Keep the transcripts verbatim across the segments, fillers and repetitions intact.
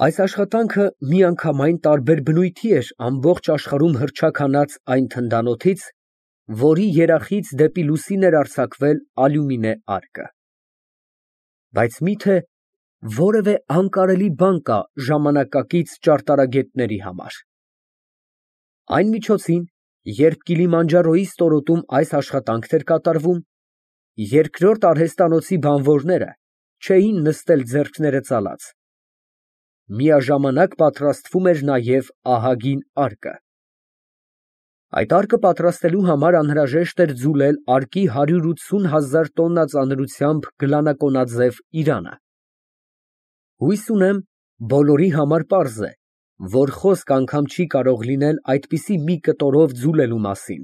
Այս աշխատանքը միանգամայն տարբեր բնույթի էր ամբողջ աշխարհում հռչականած այն թնդանոթից, որի երախից դեպի լուսին էր արձակվել ալյումինե արկը։ Բայց մի՞թե որևէ անկարելի բան կա ժամանակակից ճարտարագետների համար։ Այն միջոցին, երբ Կիլիմանջարոյի ստորոտում այս աշխատանքն էր կատարվում, երկրորդ արհեստանոցի բանվորները չէին նստել ձեռքները ծալած, միաժամանակ պատրաստվում էր նաև ահագին արկը։ Այդ արկը պատրաստելու համար անհրաժեշտ էր ձուլել արկի հարյուր ութսուն հազար տոննա ծանրությամբ գլանակոնաձև իրանը։ Հույս ունեմ, բոլորի համար պարզ է, որ խոսք անգամ չի կարող լինել այդպիսի մի կտորով ձուլելու մասին։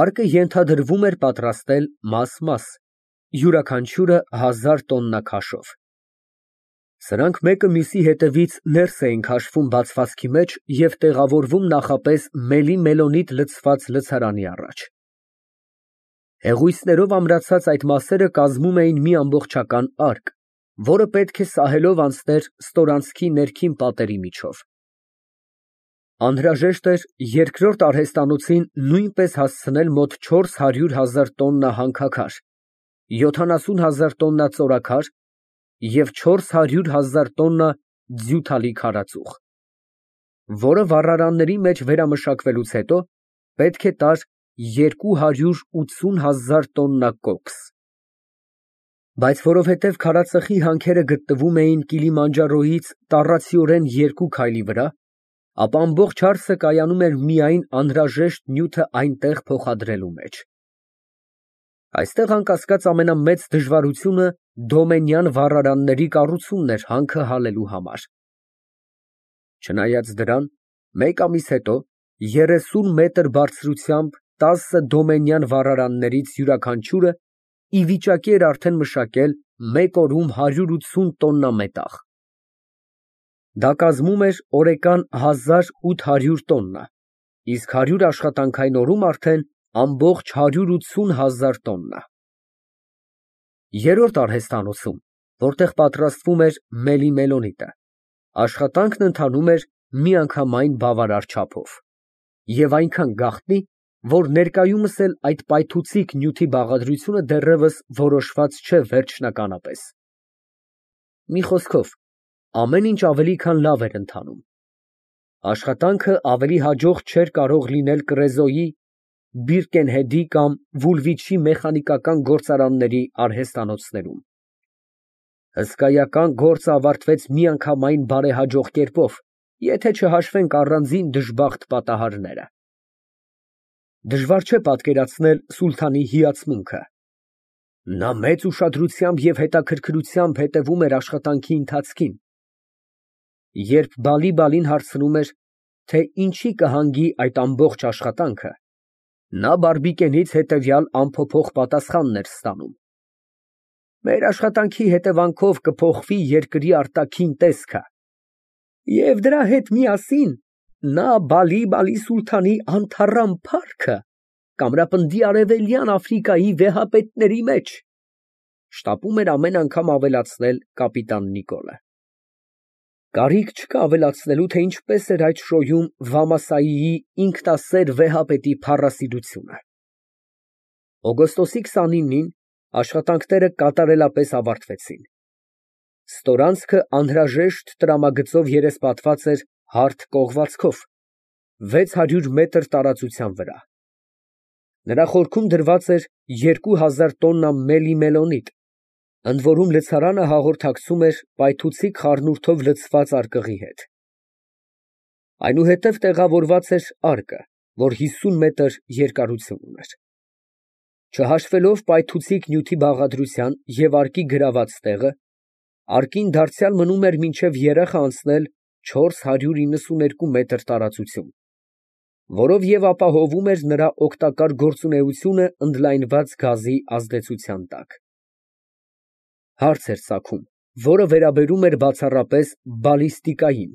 Արկը ենթադրվում էր պատրաստել մաս֊մաս, յուրաքանչյուրը հազար տոննա քաշով։ Սրանք մեկը մյուսի հետևից ներս էին քաշվում բացվածքի մեջ և տեղավորվում նախապես մելի֊մելոնիտ լցված լցարանի առաջ։ Հեղույսներով ամրացած այդ մասերը կազմում էին մի ամբողջական արկ, որը պետք է սահելով անցներ ստորանցքի ներքին պատերի միջով։ Անհրաժեշտ էր երկրորդ արհեստանոցին նույնպես հասցնել մոտ չորս հարյուր հազար տոննա հանքաքար, յոթանասուն հազար տոննա ծորաքար և չորս հարյուր հազար տոննա ձյութալի քարածուխ, որը վառարանների մեջ վերամշակվելուց հետո պետք է տար երկու հարյուր ութսուն հազար տոննա կոքս։ Բայց որովհետև քարածխի հանքերը գտնվում էին Կիլիմանջարոյից տառացիորեն երկու քայլի վրա, ապա ամբողջ հարցը կայանում էր միայն անհրաժեշտ նյութը այնտեղ փոխադրելու մեջ։ Այստեղ անկասկած ամենամեծ դժվարությունը դոմենյան վառարանների կառուցումն էր հանքը հալելու համար։ Չնայած դրան, մեկ ամիս հետո երեսուն մետր բարձրությամբ տասը դոմենյան վառարաններից յուրաքանչյուրը ի վիճակի էր արդեն մշակել մեկ օրում հարյուր ութսուն տոննա մետաղ։ Դա կազմում էր օրեկան հազար ութ հարյուր տոննա, իսկ հարյուր աշխատանքային օրում արդեն ամբողջ հարյուր ութսուն հազար տոննա։ Երրորդ արհեստանոցում, որտեղ պատրաստվում էր մելի֊մելոնիտը, աշխատանքն ընթանում էր միանգամայն բավարար չափով և այնքան գաղտնի, որ ներկայումս էլ այդ պայթուցիկ նյութի բաղադրությունը դեռևս որոշված չէ վերջնականապես։ Մի խոսքով, ամեն ինչ ավելի քան լավ էր ընթանում։ Աշխատանքը ավելի հաջող չէր կարող լինել Կռեզոյի, Բիրկենհեդի կամ Վուլվիչի մեխանիկական գործարանների արհեստանոցներում։ Հսկայական գործը ավարտվեց միանգամայն բարեհաջող կերպով, եթե չհաշվենք առանձին դժբախտ պատահարները։ Դժվար չէ պատկերացնել սուլթանի հիացմունքը։ Նա մեծ ուշադրությամբ և հետաքրքրությամբ հետևում էր աշխատանքի ընթացքին։ Երբ Բալի֊Բալին հարցնում էր, թե ինչի կհանգի այդ ամբողջ աշխատանքը, նա Բարբիկենից հետևյալ անփոփոխ պատասխանն էր ստանում. «Մեր աշխատանքի հետևանքով կփոխվի երկրի արտաքին տեսքը, և դրա հետ միասին նա Բալի֊Բալի սուլթանի անթառամ փառքը կամրապնդի Արևելյան Աֆրիկայի վեհապետների մեջ», շտապում էր ամեն անգամ ավելացնել կապիտան Նիկոլը։ Կարիք չկա ավելացնելու, թե ինչպես էր այդ շոյում Վամասայիի ինքնասեր վեհապետի փառասիրությունը։ Օգոստոսի քսանինին աշխատանքները կատարելապես ավարտվեցին։ Ստորանցքը անհրաժեշտ տրամագծով երեսպատված էր հարթ կողվածքով, վեց հարյուր մետր տարածության վրա։ Նրա խորքում դրված էր երկու հազար տոննա մելի֊մելոնիտ, ընդ որում լցարանը հաղորդակցում էր պայթուցիկ խառնուրդով լցված արկղի հետ։ Այնուհետև տեղավորված էր արկը, որ հիսուն մետր երկարություն ուներ։ Չհաշվելով պայթուցիկ նյութի բաղադրության և արկի գրաված տեղը, արկին դարձյալ մնում էր մինչև երախը անցնել չորս հարյուր իննսուներկու մետր տարածություն, որով և ապահովում էր նրա օգտակար գործունեությունը ընդլայնված գազի ազդեցության տակ։ Հարց էր ծագում, որը վերաբերում էր բացառապես բալիստիկային.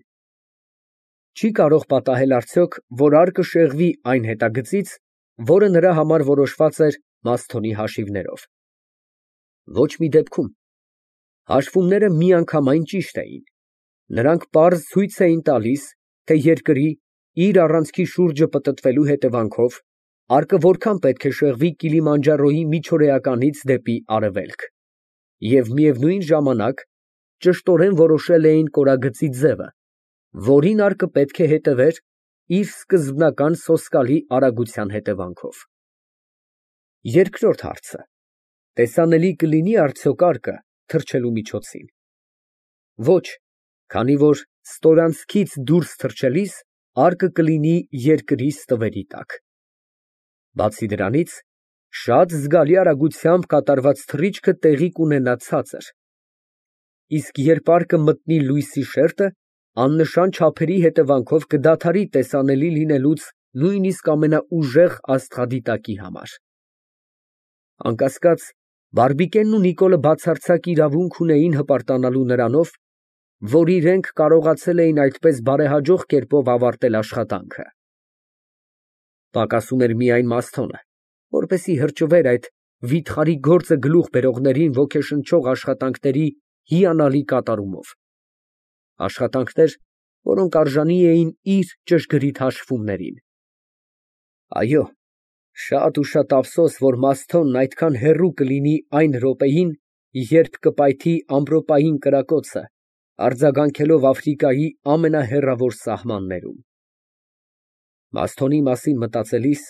չի կարող պատահել արդյոք, որ արկը շեղվի այն հետագծից, որը նրա համար որոշված էր Մասթոնի հաշիվներով։ Ոչ մի դեպքում։ Հաշվումները միանգամայն ճիշտ էին։ Նրանք պարզ ցույց էին տալիս, թե երկրի, իր առանցքի շուրջը պտտվելու հետևանքով, արկը որքան պետք է շեղվի Կիլիմանջարոյի միջօրեականից դեպի արևելք, և միևնույն ժամանակ ճշտորեն որոշել էին կորագծի ձևը, որին արկը պետք է հետևեր իր սկզբնական սոսկալի արագության հետևանքով։ Երկրորդ հարցը. տեսանելի կլինի՞ արդյոք արկը թռչելու միջոցին։ Ոչ, քանի որ ստորանցքից դուրս թռչելիս արկը կլինի երկրի ստվերի տակ։ Բացի դրանից, շատ զգալի արագությամբ կատարված թռիչքը տեղի կունենա ցածր, իսկ երբ արկը մտնի լույսի շերտը, աննշան չափերի հետևանքով կդադարի տեսանելի լինելուց նույնիսկ ամենաուժեղ աստղադիտակի համար։ Անկասկած, Բարբիկենն ու Նիկոլը բացարձակ իրավունք ունեին հպարտանալու նրանով, որ իրենք կարողացել էին այդպես բարեհաջող կերպով ավարտել աշխատանքը։ Պակասում էր միայն Մասթոնը, որպեսզի հրճվեր այդ վիթխարի գործը գլուխ բերողներին ոգեշնչող աշխատանքների հիանալի կատարումով, աշխատանքներ, որոնք արժանի էին իր ճշգրիտ հաշվումներին։ Այո, շատ ու շատ ափսոս, որ Մասթոնն այդքան հեռու կլինի այն րոպեին, երբ կպայթի ամպրոպային կրակոցը, արձագանքելով Աֆրիկայի ամենահեռավոր սահմաններում։ Մասթոնի մասին մտածելիս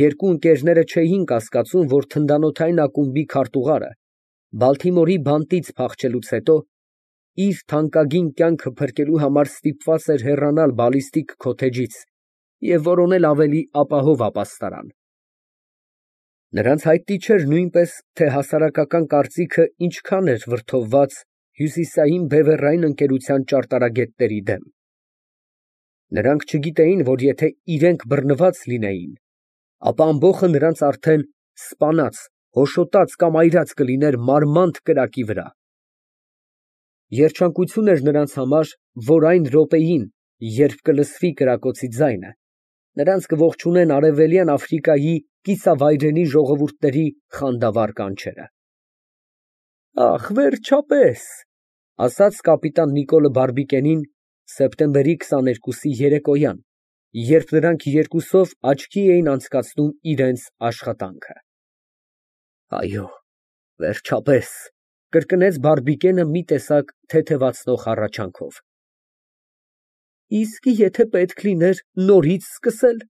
երկու ընկերները չէին կասկածում, որ թնդանոթային ակումբի քարտուղարը Բալթիմորի բանտից փախչելուց հետո իր թանկագին կյանքը փրկելու համար ստիպված էր հեռանալ բալիստիկ քոթեջից և որոնել ավելի ապահով ապաստարան։ Նրանց հայտնի չէր նույնպես, թե հասարակական կարծիքը ինչքան էր վրդովված հյուսիսային բևեռային ընկերության ճարտարագետների դեմ։ Նրանք չգիտեին, որ եթե իրենք բռնված լինեին, ապա ամբոխը նրանց արդեն սպանած, հոշոտած կամ այրած կլիներ մարմանդ կրակի վրա։ Երջանկություն էր նրանց համար, որ այն րոպեին, երբ կլսվի կրակոցի ձայնը, նրանց կողջունեն Արևելյան Աֆրիկայի կիսավայրենի ժողովուրդների խանդավառ կանչերը։ Ախ, վերջապես, ֊ ասաց կապիտան Նիկոլը Բարբիկենին սեպտեմբերի քսաներկուսի երեկոյան, երբ նրանք երկուսով աչքի էին անցկացնում իրենց աշխատանքը։ Այո, վերջապես, ֊ կրկնեց Բարբիկենը մի տեսակ թեթևացնող հառաչանքով։ Իսկ եթե պետք լիներ նորից սկսել։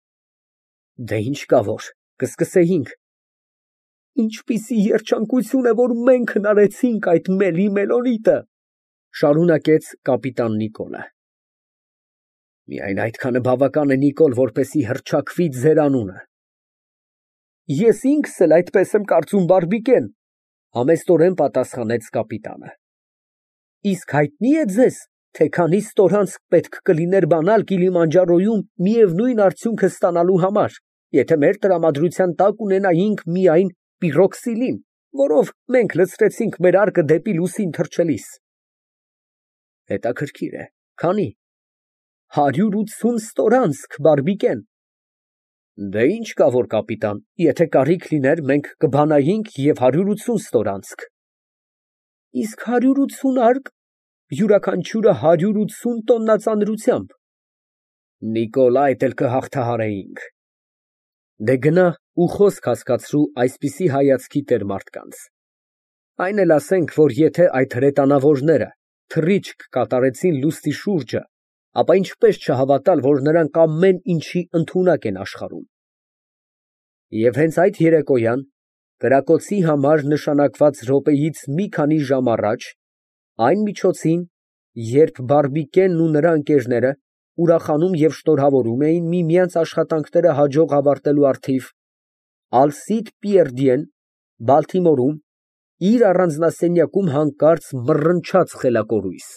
Դե ինչ կա որ, կսկսեինք։ Ինչպիսի երջանկություն է, որ մենք հնարեցինք այդ մելի մելորիտը, ֊ շարունակեց կապիտան Նիկոլը։ Միայն այդքանը բավական է, Նիկոլ, որպեսզի հռչակվի ձեր անունը։ Ես ինքս էլ այդպես եմ կարծում, Բարբիկեն, ֊ համեստորեն պատասխանեց կապիտանը։ Իսկ հայտնի է ձեզ, թե քանի ստորանցք պետք կլիներ բանալ Կիլիմանջարոյում միևնույն արդյունքը ստանալու համար, եթե մեր տրամադրության տակ ունենայինք միայն պիրոքսիլին, որով մենք լցրեցինք մեր արկը դեպի լուսին թռչելիս։ Հետաքրքիր է, քանի։ Հարյուր ութսուն ստորանցք, Բարբիկեն։ Դե ինչ կա որ, կապիտան, եթե կարիք լիներ, մենք կբանայինք և հարյուր ութսուն ստորանցք։ Իսկ հարյուր ութսուն արկ, յուրաքանչյուրը հարյուր ութսուն տոննա ծանրությամբ։ Նիկոլ, այդ էլ կհաղթահարեինք։ Դե գնա ու խոսք հասկացրու այսպիսի հայացքի տեր մարդկանց։ Այն էլ ասենք, որ եթե այդ հրետանավորները թռիչք կատարեցին լուսնի շուրջը, ապա ինչպես չհավատալ, որ նրանք ամեն ինչի ընդունակ են աշխարհում։ Եվ հենց այդ երեկոյան, կրակոցի համար նշանակված րոպեից մի քանի ժամ առաջ, այն միջոցին, երբ Բարբիկենն ու նրա ընկերները ուրախանում և շնորհավորում էին միմյանց աշխատանքները հաջող ավարտելու առթիվ, Ալսիդ Պիերդիեն Բալթիմորում իր առանձնասենյակում հանկարծ մռնչաց խելակորույս,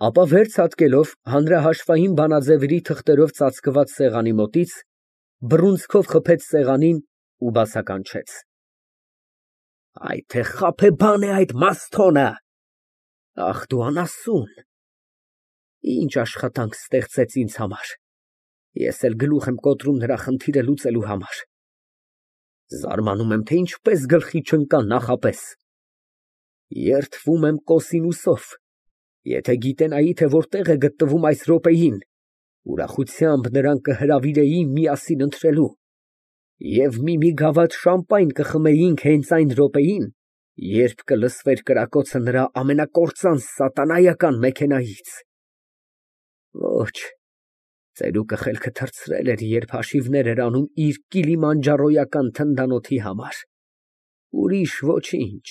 ապա վեր ցատկելով հանրահաշվային բանաձևերի թղթերով ծածկված սեղանի մոտից, բռունցքով խփեց սեղանին ու բացականչեց. Այ թե խաբեբան է այդ Մասթոնը, ախ դու անասուն, ինչ աշխատանք ստեղծեց ինձ համար, ես էլ գլուխ եմ կոտրում նրա խնդիրը լուծելու համար, զարմանում եմ, թե ինչպես գլխի չընկա նախապես, երդվում եմ Կոսինուսով, Եթե գիտենայի, թե որտեղ է գտնվում այս րոպեին, ուրախությամբ նրան կհրավիրեի միասին ընթրելու, և մի֊մի գավաթ շամպայն կխմեինք հենց այն րոպեին, երբ կլսվեր կրակոցը նրա ամենակործանց սատանայական մեքենայից… Ոչ, ծերուկը խելքը թռցրել էր, երբ հաշիվներ էր անում իր կիլիմանջարոյական թնդանոթի համար… ուրիշ ոչինչ։